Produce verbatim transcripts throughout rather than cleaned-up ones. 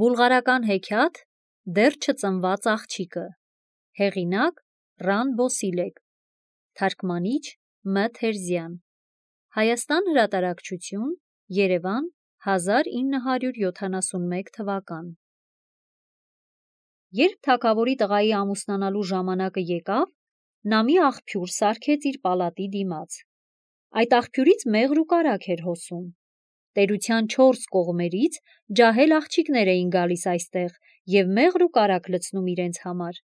Բուլղարական հեքիաթ դեռ չծնված աղջիկը, հեղինակ Ռան Բոսիլեկ, թարգմանիչ Մ Թերզյան, Հայաստան հրատարակչություն, Երևան, հազար ինը հարյուր յոթանասունմեկ թվական։ Երբ թագավորի տղայի ամուսնանալու ժամանակը եկավ, նա մի աղբյուր սարքեց իր պալատի դիմաց։ Այդ աղբյուրից մեղր ու կարագ էր հոսում։ Տերության չորս կողմերից ջահել աղջիկներ էին գալիս այստեղ և մեղր ու կարագ լցնում իրենց համար։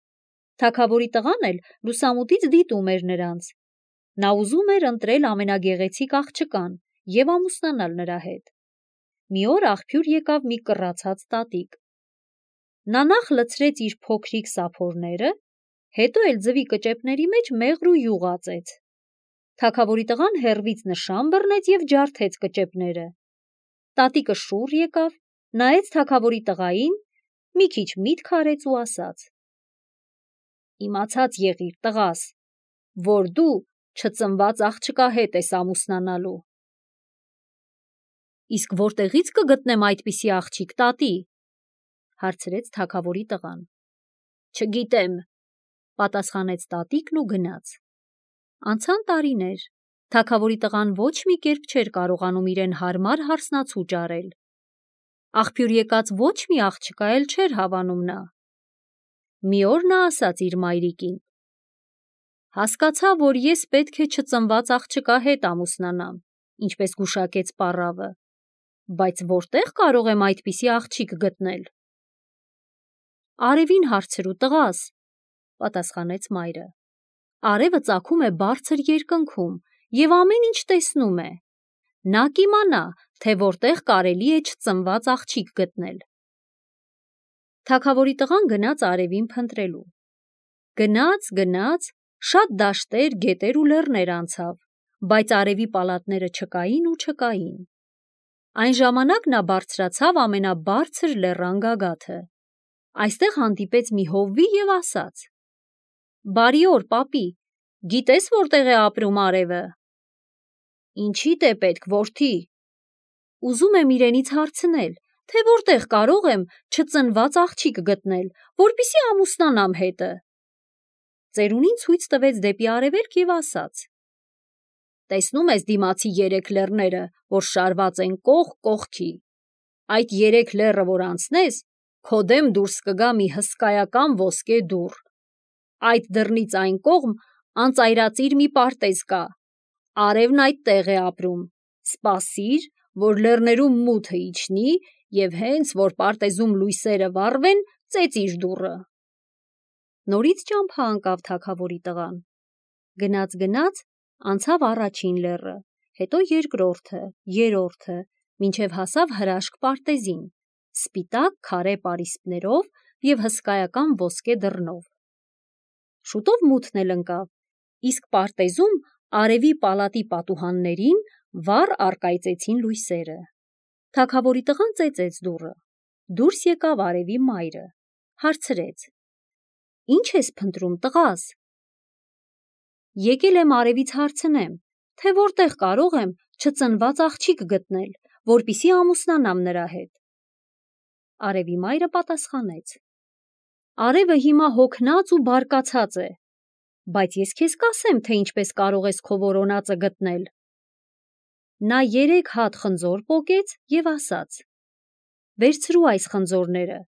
Թագավորի տղան էլ լուսամուտից դիտում էր նրանց։ Նա ուզում էր ընտրել ամենագեղեցիկ աղջկան և ամուսնանալ նրա հետ։ Մի օր աղբյուր եկավ մի կռացած տատիկ։ Նա նախ լցրեց իր փոքրիկ սափորները, հետո էլ ձվի կճեպների մեջ մեղր ու յուղ ածեց։ Թագավորի տղան հեռվից նշան բռնեց և ջարդեց կճեպները։ Տատիկը շուռ եկավ, նայեց թագավորի տղային, մի քիչ միտք արեց ու ասաց. «Իմացած եղիր, տղաս, որ դու չծնված աղջկա հետ ես ամուսնանալու»։ «Իսկ որտեղից կգտնեմ այդպիսի աղջիկ, տատի» հարցրեց թագավորի տղան։ «Չգիտեմ», պատասխանեց տատիկն ու գնաց։ Անցան տարիներ, թագավորի տղան ոչ մի կերպ չէր կարողանում իրեն հարմար հարսնացու ճարել։ Աղբյուր եկած ոչ մի աղջկա էլ չէր հավանում նա։ Մի օր նա ասաց իր մայրիկին. «Հասկացա, որ ես պետք է չծնված աղջկա հետ ամուսնանամ, ինչպես գուշակեց պառավը, բայց որտեղ կարող եմ այդպիսի աղջիկ գտնել»։ «Արևին հարցրու, տղաս», պատասխանեց մայրը։ «Արևը ծագում է բարձր երկնքում և ամեն ինչ տեսնում է։ Նա կիմանա, թե որտեղ կարելի է չծնված աղջիկ գտնել»։ Թագավորի տղան գնաց արևին փնտրելու։ Գնաց, գնաց, շատ դաշտեր, գետեր ու լեռներ անցավ, բայց արևի պալատները չկային ու չկային։ Այն ժամանակ նա բարձրացավ ամենաբարձր լեռան գագաթը։ Այստեղ հանդիպեց մի հովվի և ասաց. «Բարի օր, պապի, գիտես որտեղ է ապրում արևը»։ «Ինչիդ է պետք, որդի»։ «Ուզում եմ իրենից հարցնել, թե որտեղ կարող եմ չծնված աղջիկ գտնել, որպեսզի ամուսնանամ հետը»։ Ծերունին ցույց տվեց դեպի արևելք և ասաց. «Տեսնում ես դիմացի երեք լեռները, որ շարված են կողք կողքի։ Այդ երեք լեռը որ անցնես, քո դեմ դուրս կգա մի հսկայական ոսկե դուռ։ Այդ դռնից այն կողմ անծայրածիր մի պարտեզ կա։ Արևն այդտեղ է ապրում։ Սպասիր, որ լեռներում մութը իջնի, և հենց որ պարտեզում լույսերը վառվեն, ծեծիր դուռը»։ Նորից ճամփա ընկավ թագավորի տղան։ Գնաց-գնաց, անցավ առաջին լեռը, հետո երկրորդը, երրորդը, մինչև հասավ հրաշք պարտեզին, սպիտակ քարե պարիսպներով և հսկայական ոսկե դռնով։ Շուտով մութն էլ ընկավ, իսկ պարտեզում արևի պալատի պատուհաններին վառ առկայծեցին լույսերը։ Թագավորի տղան ծեծեց դուռը։ Դուրս եկավ արևի մայրը, հարցրեց. «Ինչ ես փնտրում, տղաս»։ «Եկել եմ արևից հարցնեմ, թե որտեղ կարող եմ չծնված աղջիկ գտնել, որպեսզի ամուսնանամ նրա հետ»։ Արևի մայրը պատասխանեց. «Արևը հիմա հոգնած ու բարկացած է, բայց ես քեզ կասեմ, թե ինչպես կարող ես քո որոնածը գտնել»։ Նա երեք հատ խնձոր պոկեց և ասաց. «Վերցրու այս խնձորները,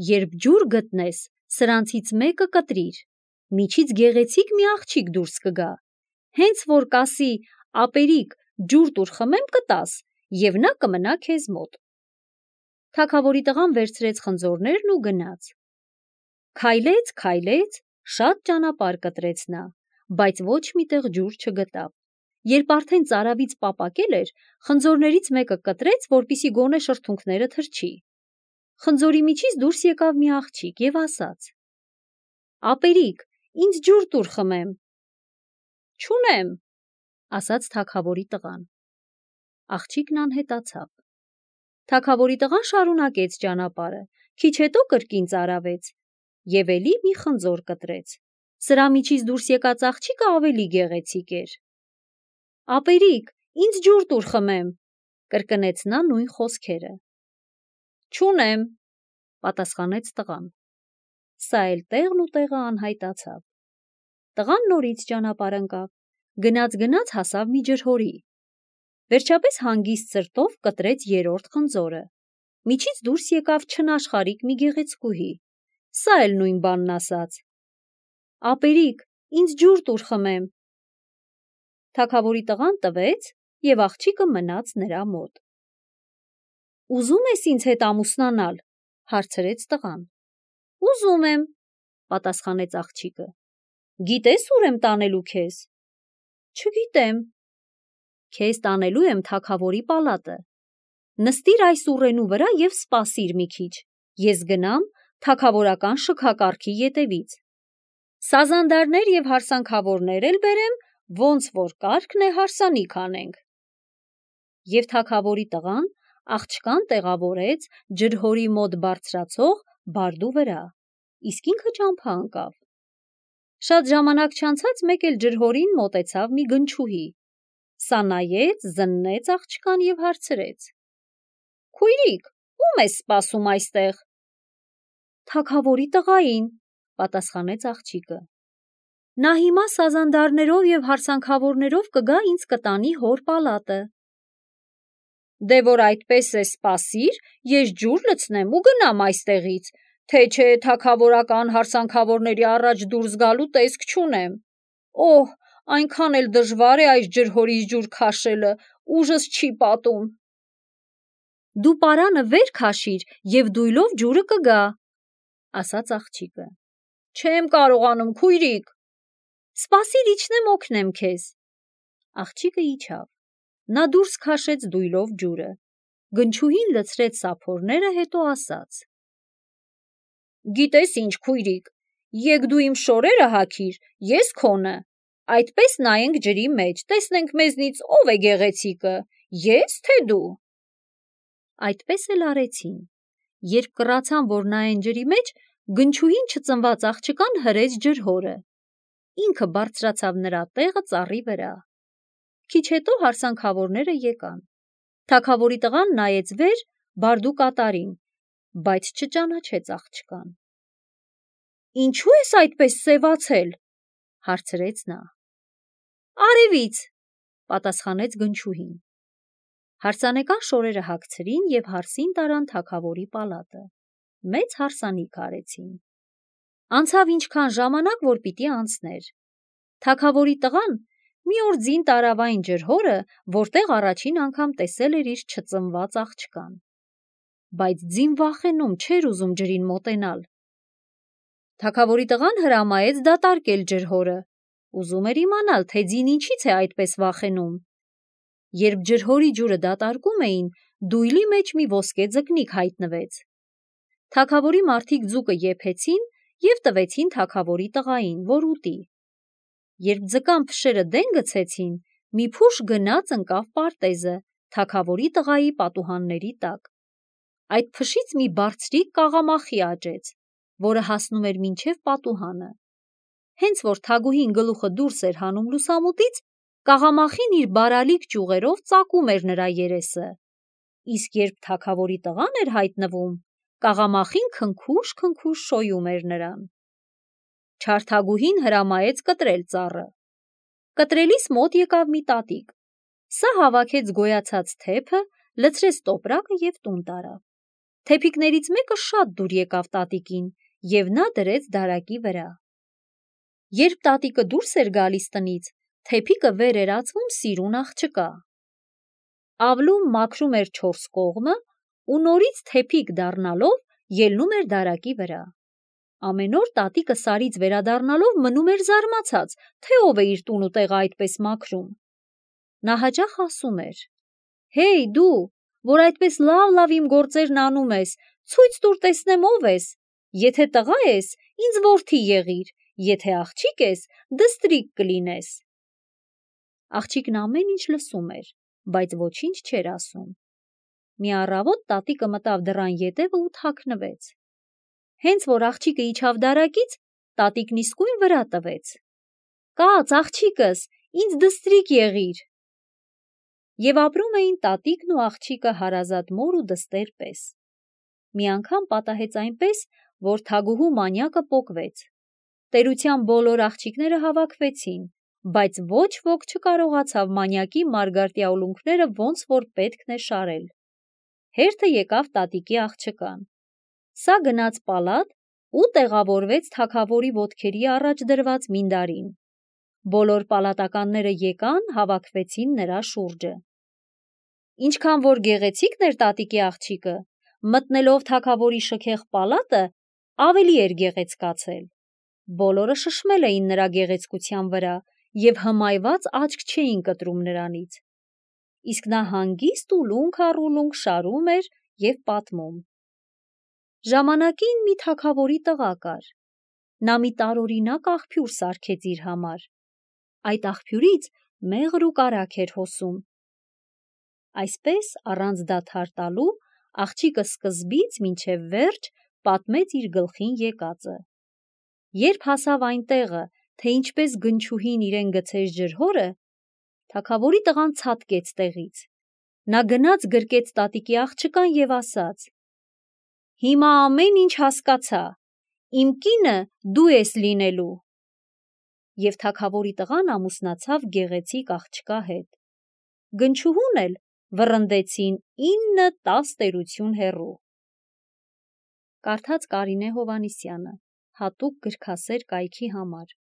երբ ջուր գտնես, սրանցից մեկը կտրիր, միջից գեղեցիկ մի աղջիկ դուրս կգա, հենց որ կասի ապերիկ, ջուր տուր խմեմ, կտաս, և նա կմնա քեզ մոտ»։ Թագավորի տղան վերցրեց խնձորներն ու գնաց։ Քայլեց, քայլեց, շատ ճանապարհ կտրեց նա, բայց ոչ մի տեղ ջուր չգտավ։ Երբ արդեն ծարավից պապակել էր, խնձորներից մեկը կտրեց, որպեսզի գոնե շրթունքները թրջի։ Խնձորի միջից դուրս եկավ մի աղջիկ և ասաց. «Ապերիկ, ինձ ջուր տուր խմեմ»։ «Չունեմ», ասաց թագավորի տղան։ Աղջիկն անհետացավ։ Թագավորի տղան շարունակեց ճանապարհը, քիչ հետո կրկին ծարավեց և էլի մի խնձոր կտրեց։ Սրա միջից դուրս եկած աղջիկը ավելի գեղեցիկ էր։ «Ապերիկ, ինձ ջուր տուր խմեմ», կրկնեց նա նույն խոսքերը։ «Չունեմ», պատասխանեց տղան։ Սա էլ տեղն ու տեղը անհայտացավ։ Տղան նորից ճանապարհ ընկավ, գնաց-գնաց հասավ մի ջրհորի։ Վերջապես հանգիստ սրտով կտրեց երրորդ խնձորը։ Միջից դուրս եկավ չնաշխարհիկ մի գեղեցկուհի։ Սա էլ նույն բանն ասաց. «Ապերիկ, ինձ ջուր տուր խմեմ»։ Թագավորի տղան տվեց, եւ աղջիկը մնաց նրա մոտ։ «Ուզում ես ինձ հետ ամուսնանալ», հարցրեց տղան։ «Ուզում եմ», պատասխանեց աղջիկը։ «Գիտես ուր եմ տանելու քեզ»։ «Չգիտեմ»։ «Քեզ տանելու եմ թագավորի պալատը։ Նստիր այս ուռենու վրա եւ սպասիր մի քիչ, ես գնամ թագավորական շքակառքի ետևից։ Սազանդարներ եւ հարսանքավորներ էլ բերեմ, ոնց որ կարգն է հարսանիք անենք»։ Եվ թագավորի տղան աղջկան տեղավորեց ջրհորի մոտ բարձրացող բարդու վրա, իսկ ինքը ճամփա ընկավ։ Շատ ժամանակ չանցած մեկ էլ ջրհորին մոտեցավ մի գնչուհի։ Սա նայեց, զննեց աղջկան եւ հարցրեց. «Քույրիկ, ո՞ւմ ես սպասում այստեղ»։ «Թագավորի տղային», պատասխանեց աղջիկը։ «Նա հիմա սազանդարներով եւ հարսանքավորներով կգա ինձ կտանի հոր պալատը»։ «Դե որ այդպես է, սպասիր, ես ջուր լցնեմ ու գնամ այստեղից, թե չէ թագավորական հարսանքավորների առաջ դուրս գալու տեսք չունեմ։ Օհ, այնքան էլ դժվար է այս ջրհորից ջուր քաշելը, ուժս չի պատում»։ «Դու պարանը վեր քաշիր եւ դույլով ջուրը կգա», ասաց աղջիկը։ «Չեմ կարողանում, քույրիկ»։ «Սպասիր, իջնեմ օգնեմ քեզ»։ Աղջիկը իջավ։ Նա դուրս քաշեց դույլով ջուրը։ Գնչուհին լցրեց սափորները, հետո ասաց. «Գիտես ինչ, քույրիկ, եկ դու իմ շորերը հագիր, ես քոնը։ Այդպես նայենք ջրի մեջ, տեսնենք մեզնից ով է գեղեցիկը, ես թե դու»։ Այդպես էլ արեցին։ Երբ կռացան, որ նայեն ջրի մեջ, գնչուհին չծնված աղջկան հրեց ջրհորը։ Ինքը բարձրացավ նրա տեղը ծառի վրա։ Քիչ հետո հարսանքավորները եկան։ Թագավորի տղան նայեց վեր բարդու կատարին, բայց չճանաչեց աղջկան։ «Ինչու ես այդպես սևացել»։ հարցրեց նա։ «Արևից», պատասխանեց գնչուհին։ Հարսանեկան շորերը հագցրին եւ հարսին տարան թագավորի պալատը։ Մեծ հարսանիք արեցին։ Անցավ ինչքան ժամանակ, որ պիտի անցներ։ Թագավորի տղան մի օր ձին տարավ այն ջրհորը, որտեղ առաջին անգամ տեսել էր իր չծնված աղջկան։ Բայց ձին վախենում չէր ուզում ջրին մոտենալ։ Թագավորի տղան հրամայեց դատարկել ջրհորը, ուզում էր իմանալ, թե ձին ինչից է այդպես վախենում։ Երբ ջրհորի ջուրը դատարկում էին, դույլի մեջ մի ոսկե ձկնիկ հայտնվեց։ Թագավորի մարդիկ ձուկը եփեցին եւ տվեցին թագավորի տղային, որ ուտի։ Երբ ձկան փշերը դեն գցեցին, մի փուշ գնաց ընկավ պարտեզը թագավորի տղայի պատուհանների տակ։ Այդ փշից մի բարձրիկ կաղամախի աճեց, որը հասնում էր մինչև պատուհանը։ Հենց որ թագուհին գլուխը դուրս էր հանում լուսամուտից, կաղամախին իր բարալիկ ճյուղերով ծակում էր նրա երեսը։ Իսկ երբ թագավորի տղան էր հայտնվում, կաղամախին քնքուշ-քնքուշ շոյում էր նրան։ Չար թագուհին հրամայեց կտրել ծառը։ Կտրելիս մոտ եկավ մի տատիկ։ Սա հավաքեց գոյացած թեփը, լցրեց տոպրակը եւ տուն տարավ։ Թեփիկներից մեկը շատ դուր եկավ տատիկին, եւ նա դրեց դարակի վրա։ Երբ տատիկը դուրս էր գալիս տնից, թեփիկը վեր էր ածվում սիրուն աղջկա։ Ավլում մաքրում էր չորս կողմը ու նորից թեփիկ դառնալով ելնում էր դարակի վրա։ Ամեն օր տատիկը սարից վերադառնալով մնում էր զարմացած, թե ով է իր տուն ու տեղը այդպես մաքրում։ Նա հաճախ ասում էր. «Հեյ դու, որ այդպես լավ-լավ իմ գործերն անում ես, ցույց տուր տեսնեմ ով ես։ Եթե տղա ես, ինձ որդի եղիր, եթե աղջիկ ես, դստրիկ կլինես»։ Աղջիկն ամեն ինչ լսում էր, բայց ոչինչ չէր ասում։ Մի առավոտ տատիկը մտավ դռան ետևը ու թաքնվեց։ Հենց որ աղջիկը իջավ դարակից, տատիկն իսկույն վրա տվեց. «Կաց, աղջիկս, ինձ դստրիկ եղիր»։ Եվ ապրում էին տատիկն ու աղջիկը հարազատ մոր ու դստեր պես։ մի անգամ պատահեց այնպես, որ թագուհու մանյակը պոկվեց։ Տերության բոլոր աղջիկները հավաքվեցին, բայց ոչ ոք չկարողացավ մանյակի մարգարտյա ուլունքները ոնց որ պետքն է շարել։ Հերթը եկավ տատիկի աղջկան։ Սա գնաց պալատ ու տեղավորվեց թագավորի ոտքերի առաջ դրված մինդարին։ Բոլոր պալատականները եկան, հավաքվեցին նրա շուրջը։ Ինչքան որ գեղեցիկն էր տատիկի աղջիկը, մտնելով թագավորի շքեղ պալատը, ավելի էր գեղեցկացել։ Բոլորը շշմել էին նրա գեղեցկության վրա և հմայված աչք չէին կտրում նրանից։ Իսկ նա հանգիստ ուլունք առ ուլունք շարում էր և պատմում։ Ժամանակին մի թագավորի տղա կար։ Նա մի տարօրինակ աղբյուր սարքեց իր համար։ Այդ աղբյուրից մեղր ու կարագ էր հոսում։ Այսպես, առանց դադար տալու, աղջիկը սկզբից մինչև վերջ պատմեց իր գլխին եկածը։ Երբ հասավ այն տեղը, թե ինչպես գնչուհին իրեն գցեց ջրհորը, թագավորի տղան ցատկեց տեղից։ Նա գնաց գրկեց տատիկի աղջկան և ասաց. «Հիմա ամեն ինչ հասկացա, իմ կինը դու ես լինելու»։ Եվ թագավորի տղան ամուսնացավ գեղեցիկ աղջկա հետ։ Գնչուհուն էլ վռնդեցին ինը տաս տերություն հեռու։ Կարդաց Կարինե Հովհաննիսյանը, հատուկ գրքասեր կայքի համար։